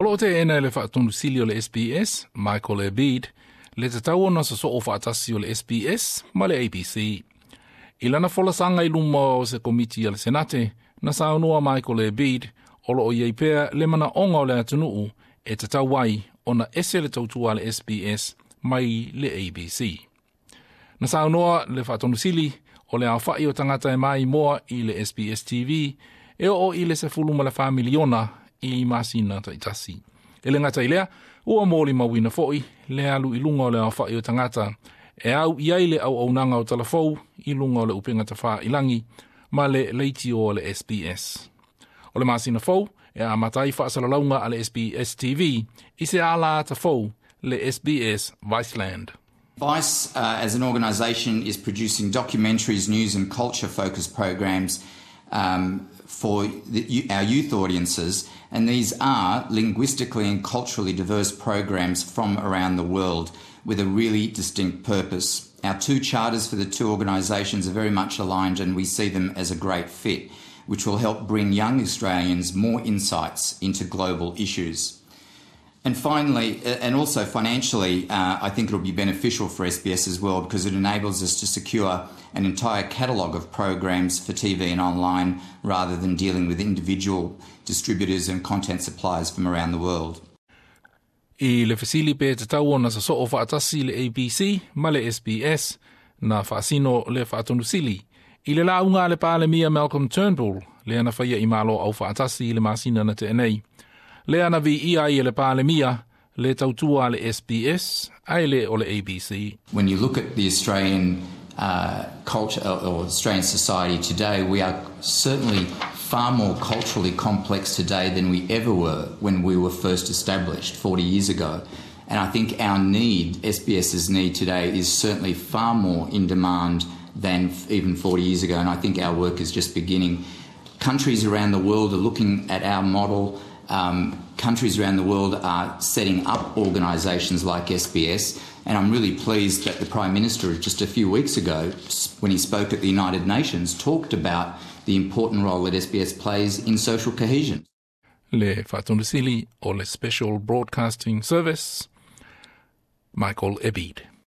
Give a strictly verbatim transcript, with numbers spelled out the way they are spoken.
O lo o teena e le Faatonusili o le S B S, Michael Ebeid, le tatau ona sosoo faatasi o le S B S ma le A B C. I lana folasaga i luma o se komiti a le Senate, na saunoa Michael Ebeid o lo o iai pea le manaoga o le atunuu e tatau ai ona ese le tautua a le S B S mai le A B C. Na saunoa le Faatonusili o le aofai o tagata e maimoa i le S B S T V e oo i le sefulu ma le fa miliona i masina taitasi. E le gata i lea, ua molimauina foi le alu i luga o le aofai o tagata e au i ai le auaunaga o talafou i luga o le upega tafailagi ma le leitio o le S B S. O le masina fou e amata ai faasalalauga a le S B S T V i se ala ata fou, le S B S Viceland. Vice, uh, as an organisation, is producing documentaries, news, and culture focused programs um, for the, our youth audiences, and these are linguistically and culturally diverse programs from around the world with a really distinct purpose. Our two charters for the two organisations are very much aligned, and we see them as a great fit, which will help bring young Australians more insights into global issues. And finally, and also financially, uh, I think it'll be beneficial for S B S as well because it enables us to secure an entire catalogue of programs for T V and online rather than dealing with individual distributors and content suppliers from around the world. I le fesili pe tatau ona sosoo faatasi le A B C ma le S B S, na faasino le Faatonusili i le lauga a le Palemia Malcolm Turnbull lea na faia i Malo Aufaatasi i le masina na tea nei. Lea na viia ai e le Palemia le tautua a le S B S ae le o le A B C. When you look at the Australian uh, culture or Australian society today, we are certainly far more culturally complex today than we ever were when we were first established forty years ago. And I think our need, S B S's need today, is certainly far more in demand than even forty years ago. And I think our work is just beginning. Countries around the world are looking at our model. Um, countries around the world are setting up organisations like S B S, and I'm really pleased that the Prime Minister, just a few weeks ago, when he spoke at the United Nations, talked about the important role that S B S plays in social cohesion. Le Faatonusili o le Special Broadcasting Service, Michael Ebeid.